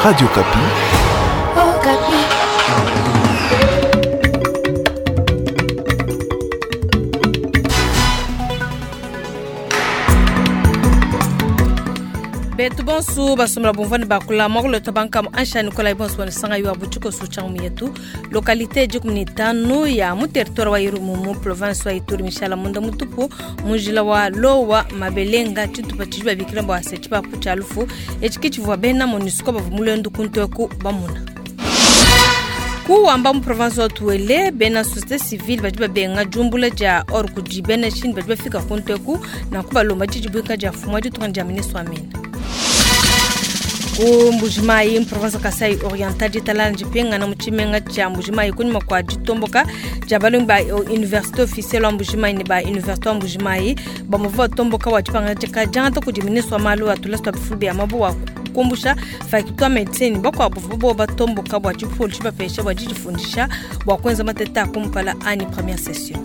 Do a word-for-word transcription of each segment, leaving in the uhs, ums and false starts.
Radio Okapi. Okapi. Betu bonsu basomela bumvani bakula mwakuleta bankamu ansha nikolai bonsu wanisanga yu abuchiko suchangu yetu localité dikumi ni tanu ya mu territoire wa Irumu mu province wa Ituri mishala munda mutupu mujila wa Lowa Mabelenga tshitupa tshidi babikila bua se tshipapu tshia lufu etshi ke tshivua bena MONUSCO bavua mulendu kunteku bamuna kuwamba mu province wa Tuele bena société civile badi babenga jumbula dia or kudi bena Chine badi bafika kunteku na kubalomba didibuika dia fumu ditunga dia ministre wa mines ku Mbujimayi province Kasai Oriental ditalana dipingana mu tshimenga tshia Mbujimayi kunyima kua ditomboka dia balongi ba université officielle wa Mbujimayi ne ba université wa Mbujimayi bamuvua batomboka wa dipangadika diangata kudi ministre wa malu a tulasa tua bifulu bia mabu wa kumbusha faculté wa médecine bakuabu bavua batomboka bua tshipolu tshibapesha bua didifundisha bua kuenza mateta a kumpala anyi première session.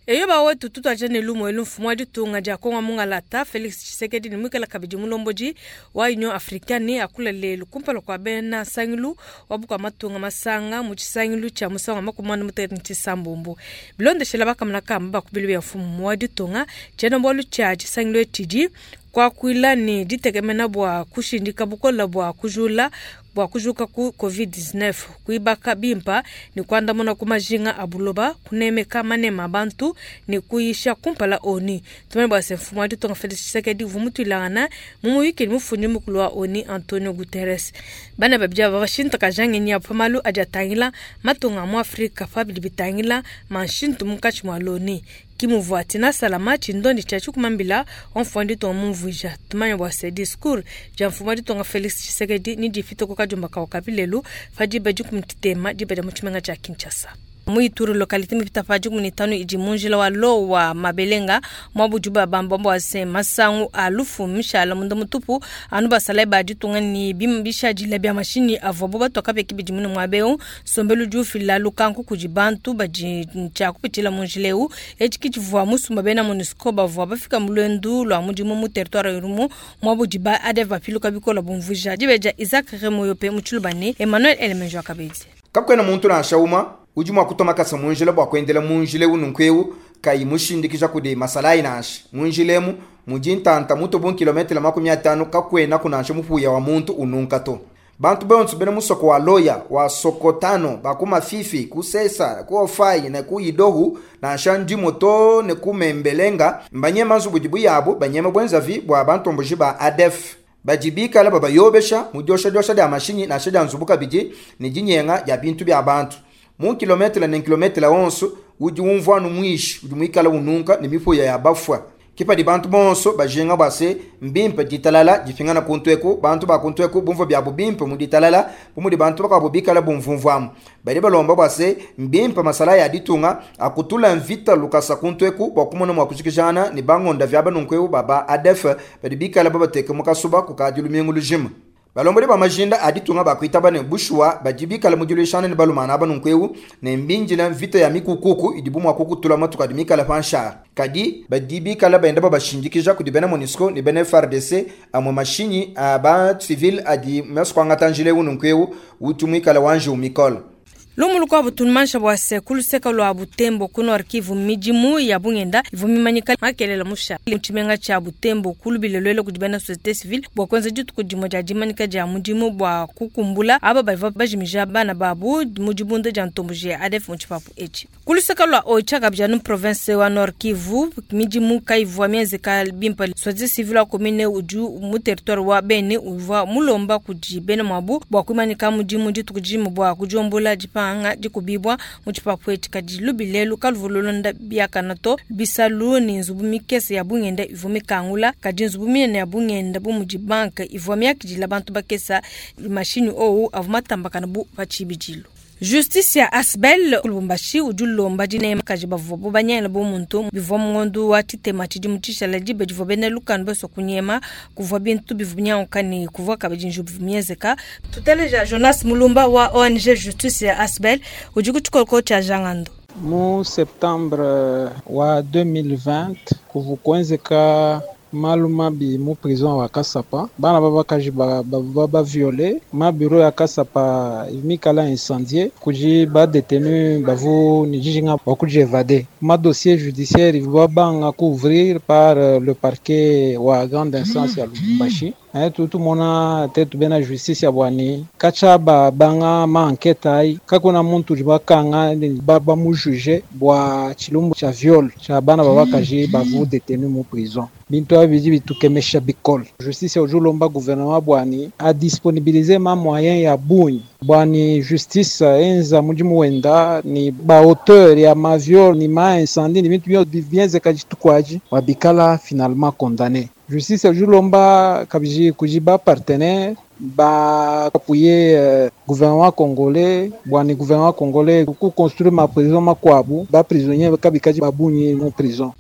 Eyo bawetu tutwaja ne lumu elu mfumu wa ditunga dia Kongo mungalata Felix Tshisekedi ne mwikala kabidi mulomboji wa Union Africaine akula lelu kumpala kua bena nsangilu wa bukua matunga masanga mu tshisangilu tshia musangu wa makumi anda mutekete ne tshisambombo bilondeshela bakamuna kamba bakubili bia mfumu wa ditunga tshiena bualu tshia tshisangilu etshidi kuakuila ne ditekemena bua kushindika bukola bua kujula bua kujuka ku covid dix-neuf kuibaka bimpa ne kuandamuna ku majinga a buloba kunemeka manema a bantu ne kuyisha kumpala ONU. Tumanye bua se mfumu wa ditunga Felix Tshisekedi uvua mutuilangana mu muyuki ne mufundi mukulu wa ONU Antonio Guterres. Bana babidi aba bashintakaja ngenyi yabu pa malu adi atangila matunga a mu Afrika pa bidi bitangila manshintu munkatshi mua l'ONU. Kimuvua Tina Salama tshindondi tshia tshikumambila wa mfumu wa ditunga mumvuija. Tumanye bua se discours dia mfumu wa ditunga Felix Tshisekedi ni difita ku kadiomba kawa ka bilelu pa diba dikumi tshitema diba dia mu tshimenga tshia Kinshasa. Mu Ituri localité mipita pa dikumi ni tanu idi mu njila wa Lowa Mabelenga mwabudi ba bamba bua se masangu a lufu mishala munda mutupu anu basalayi ba ditunga ni bima bishadila bia mashinyi avuabu batoka beki bidi mune muaba eu nsombelu udi ufila lukanku kudi bantu badi tshia kupitshila mu njila eu etshi ke tshivua musumba bena MONUSCO bavua bafika mu luendu lua mudimu mu territoire Irumu mwabudi ba A D F bapiluka bikola bumvuija dibe dia Isaac Remoyope mu Tshiluba ne Emmanuel Elemenjo akabedi. Kakuena muntu nansha umue udi mua kutuma makasa mu njila bua kuendela mu njila eu nunku eu kayi mushindikija kudi masalayi nansha. Mu njila emu mudi ntanta mutu bu kilometele makumi atanu kakuena kunansha mupuya wa muntu ununka to. Bantu bonso bena musoko wa Loya wa Sokotano ba ku Mafifi ku Sesa ku Ofai ne ku Idohu nansha ndimo to ne ku Membelenga mbanyema nzubu dibu yabo banyema bwenzavi bua bantomboji ba A D F. Badi bikala babayobesha mu dioshadiosha dia mashinyi nansha dia nzubu kabidi ne dinyenga dia bintu bia bantu. Mu kilometele ne kilometele onso udi umvua nu mwishi udi muikala ununka ne mipuya ya bafua. Kipadi bantu bonso bajinga bua se mbimpe ditalala dipingana kuntu eku bantu ba kuntu eku bumvua biabu bimpe mu ditalala bu mudi bantu bakuabu bikala bumvumvuamu. Badi balomba bua se mbimpe masala ya ditunga akutula mvita lukasa kuntu eku bua kumona mua kujikijana ne bangonda vya banunku eku ba ba A D F badi bikala babateke mu kasuba kukadi lumingu lujima. Balombodi ba majinda a ditunga bakuitaba ne bushuwa badi bikala mu diluishana ne balumana aba nunku eu ne mbinjila mvita ya mikukuku idibu mua kukutula matuku adi mikala pa nshara. Kadi badi bikala baenda babashindikija kudi bena MONUSCO ne bena F R D C amwe mashinyi a ba civil adi masu kuangata njila eu nunku eu utu muikala wanje umikolo. Lumu lukuabu tunumansha bua se kuluseka lua Butembo ku Nord Kivu midimu ya bungenda ivua mimanyika makelela musha. Mu tshimenga tshia Butembo kulubile luele kudi bena société civile bua kuenza dituku dimue dia dimanyika dia mudimu bua kukumbula aba bavua bajimija bana babu mu dibunda dia ntomboji ya A D F mu tshipapu etshi. Kuluseka lua Oicha kabidi anu province wa Nord Kivu midimu kayivua mienzeka bimpe. Société civile wa commune udi mu territoire wa Beni uvua mulomba kudi bena muabu bua kuimanyika mudimu dituku dimue bua kudiombola dipanga anga dikubibwa mu tshipapu etshi. Kadi lubilelu kaluvululonda biakana to bisalu ni nzubu mikese ya bungenda ivua mikangula kadi nzubu minene ya bungenda bu mudi banke ivua miakidila bantu bakesa mashini owu avua matambakana bu pa tshibidilu. Justice ya Asbel Lubumbashi udi ulomba dinema kaji bavua bo banyela bo muntu bivua mungondu wa tshitema tshidi mu tshishala dibe divua bena lukanu baso kunyema kuvua bintu bivua binyanguka ne kuvua kabidi njubu bivua mienzeka. Tuteleja Jonas Mulumba wa O N G Justice ya Asbel udi ku tshikoloko tshia Jangando. Mu septembre wa deux mille vingt kuvu kuenzeka Malu mabi mu prison wa Kasapa bana babakaji ba ba, ba violé ma bureau ya Kasapa mikala incendié kuji ba détenu bavu ni jijinga bakuji évadé ma dossier judiciaire va banga couvrir par le parquet wa grande instance ya Lubumbashi. Tutu mona tetu bena justice ya bwani kacha ba banga ma enquête ai kakuna muntu bakanga ba ba mu juger bwa chilumbu cha viol cha bana babakaji bavu détenu mu prison bintu abiji bitukemesha bikol justice ojulomba gouvernement bwani a disponibiliser ma moyen ya bunyi bwani justice enza mujimu wenda ni ba auteur ya ma viol ni ma incendie ni bintu bienze kajitukwaji wabikala finalement condamné. Justice ojulomba kabiji kujiba partenaire ba appuyer euh, gouvernement congolais bwani gouvernement congolais ku construire ma prison makwabu ba prisonnier kabikaji babunyi mu prison.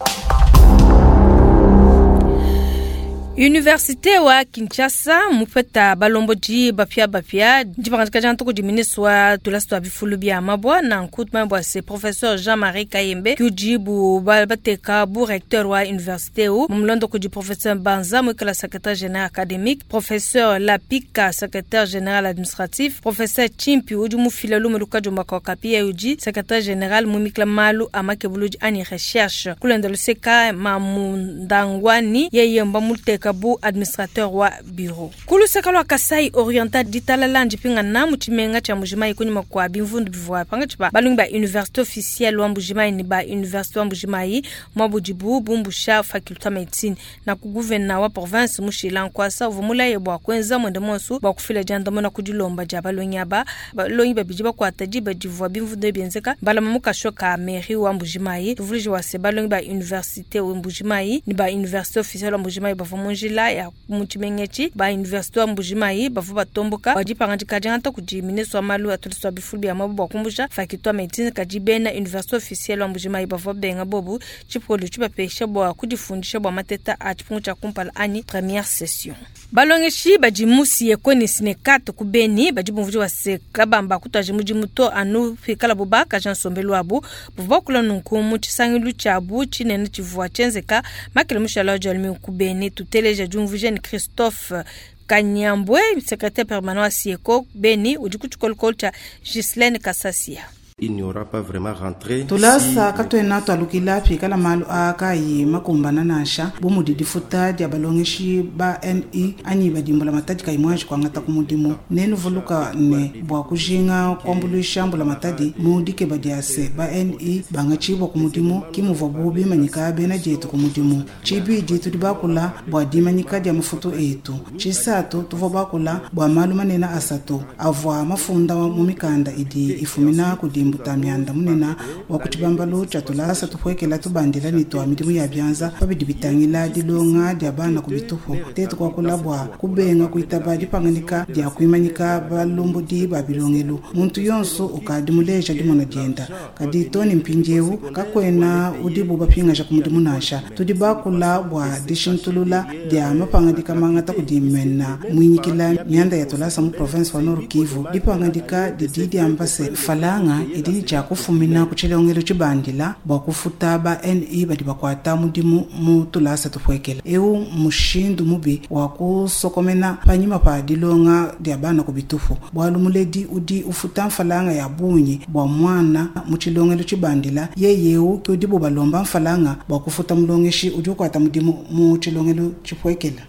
Université wa Kinshasa mupeta balomboji bapia bapia dipangatika jantu di ministre wa tulasi twa bifulu bia mabwa na nkutuma bwa se professeur Jean-Marie Kayembe kujibu bateka bu recteur wa université u mumlondo kudi professeur Banza mwikala secrétaire général académique, professeur Lapika secrétaire général administratif, professeur Chimpi udi mufila lume lukajo makakapia uji secrétaire général mumikla malu amakebuluji ani recherche kulenda luseka mamundangwani yeye mba muteka bu administrateur wa bureau. Kuluseka lwa Kasai Oriental ditalala njipinga na muchimenga cha Mbujimayi kunyuma kwa bimvundu bivwa panga chipa balungi ba université officielle wa Mbujimayi ni ba université wa Mbujimayi mwabujibu bumbusha faculté médecine na kuguvena wa province mushila nkwasa uvumula yebwa kwenza mwende monsu bwa kufila jandamo na kudilomba ja balungi aba balungi babiji bakwata jiba divwa bimvundu byenzeka bala mamukasho ka mairie wa Mbujimayi tuvulije wa se balungi ba université wa Mbujimayi ni ba université officielle wa Mbujimayi bavuma njila ya muchimengechi ba université wa Mbujimayi bavu batomboka bajipangajika janta kuji ministre wa malu atuliswa bifulu bya mabu bakumbusha faculté médecine kajibena université officielle wa Mbujimayi bavu benga bobu chipolo chibapesha bwa kujifundisha bwa mateta a chipungu cha kumpala ani première session. Balongeshi bajimusi yekoni sinekato kubeni bajibumvuji wa sekabamba kutaje mujimuto anu fikala bubaka Jean Sombelu abu bubakula nunku mu chisangilu chabu chinene chivua chenzeka makele mushala jalmi kubeni tuteleja jumvujeni Christophe Kanyambwe secrétaire permanent wa Sieko Beni ujikuchukolokolo cha Ghislaine Kasasia. Il n'y aura pas vraiment rentré. Tulasa katwena twalukila phikala malu aka yi makumbana nasha bumudi difuta dia balongeshi ba N I anyi badimbula matadi kaimwaji kwangata kumudimu nenu vuluka ne bwa kujinga kwambulisha mbula matadi mudike badiase ba N I bangachibwa kumudimu kimuvwa bubi manyika bena jetu kumudimu chibidi tudi bakula bwa dimanyika dia mafutu etu chisatu tuvo bakula bwa malu manena asatu avwa mafunda mu mikanda idi ifumina kudi mbuta myanda munena wa kuchibambalo cha tulasa tupwekela tubandila ni twa midimu ya byanza pabidi bitangila dilonga dia bana kubitufu tetu kwakula bwa kubenga kuitaba dipanganika dia kuimanyika balombodi ba bilongelo muntu yonso ukadi muleja dimona dienda kadi toni mpinjewu kakwena udibu bapingaja kumudimu nasha tudi bakula bwa dishintulula dia mapangadika mangata kudimena mwinyikila myanda ya tulasa mu province wa Nord Kivu dipangadika didi diambase falanga idi ja kufumina kuchilongelo chibandila bwa kufuta ba N I badi bakwata mudimu mu tulasa tupwekela eu mushindu mubi wa kusokomena panyima pa dilonga dia bana kubitufu bwalu muledi udi ufuta mfalanga ya bunyi bwa mwana mu chilongelo chibandila yeyeu udi bubalomba mfalanga bwa kufuta mulongeshi udi ukwata mudimu mu chilongelo chipwekela.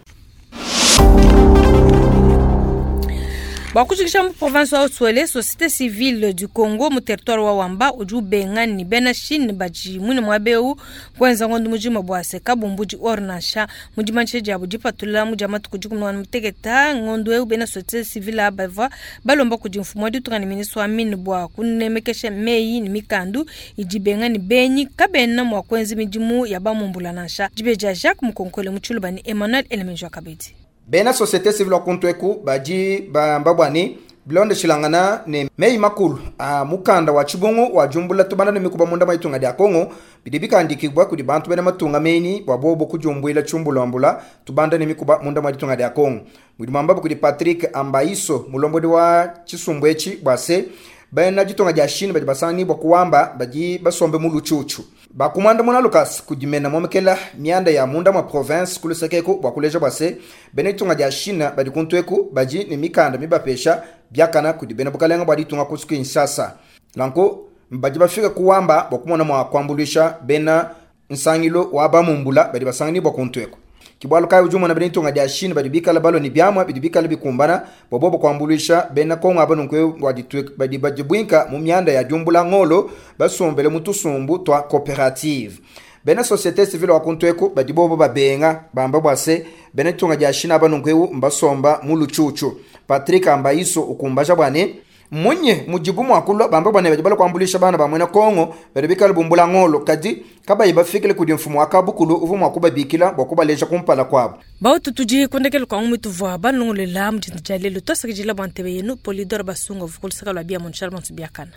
Bakushikisha mu province wa Haut-Uele, société civile du Congo mu territoire wa Wamba uju bengani bena Chine baji mwine mwabeu kwenza ngondu mujima bwa seka bumbuji ornasha mujimanche jabu jipatula mujama tukuji kumwana mutegeta ngondu eu bena société civile abava balomba kuji mfumo wa ditunga ni ministre wa mine bwa kunemekesha meyi ni mikandu iji bengani benyi kabena mwa kwenzi mijimu ya bamumbula nasha jibeja Jacques Mukonkole muchuluba ni Emmanuel Elemenjo Kabedi. Bena société civile wa kuntweku baji bambabwani bilonde shilangana ne meyi makulu a mukanda wa chibungu wa jumbula tubanda ne mikuba munda maitunga dia Kongo bidi bikandikibwa kudi bantu bena matunga meni bwa bobo kujumbwila chumbulambula tubanda ne mikuba munda maitunga dia Kongo mudi mwamba kudi Patrick Ambaiso mulombodi wa chisumbwechi bwase bena jitonga dia Chine badi basani bwa kuwamba baji basombe mu luchuchu Bakumanda muna lukasi kudimena momekela mianda ya munda mwa province kulusekeku bua kuleja bua se bena ditunga dia China badi kuntueku badi ne mikanda mibapesha biakana kudi bena bukalenga bua ditunga ku Kinshasa. Nanku badi bafika kuwamba bua kumona mua kuambuluisha bena nsangilo wa bamumbula badi basanganibua kuntueku. Kibwalu kai ujumona bena ditunga dia China badi bikala balo ni byamwa bidi bikala bikumbana bua bobo kuambuluisha bena Kongo aba nunku badi badibwinka mu mianda ya diumbula ngolo basombele mu tusumbu twa coopérative. Bena société civile wa kuntueku badi bobo babenga bamba bua se bena ditunga dia China aba nunku mbasomba mu luchuchu. Patrick Ambaiso ukumbaja bwane munye mujibu mwakulwa bamba bwane badi bala kuambulisha bana ba mwena Kongo badi bikala bumbula ngolo kadi kabayi bafikile kudi mfumu wa kabukulu uvu mwakubabikila bua kubaleja kumpala kwabo. Bautu tudi kundekela kwa ngumi tuvua banongolela mudindu dia lelu twasakidila bua ntebe yenu Polidor Basunga vukulusaka lwa bia munshala monso biakana.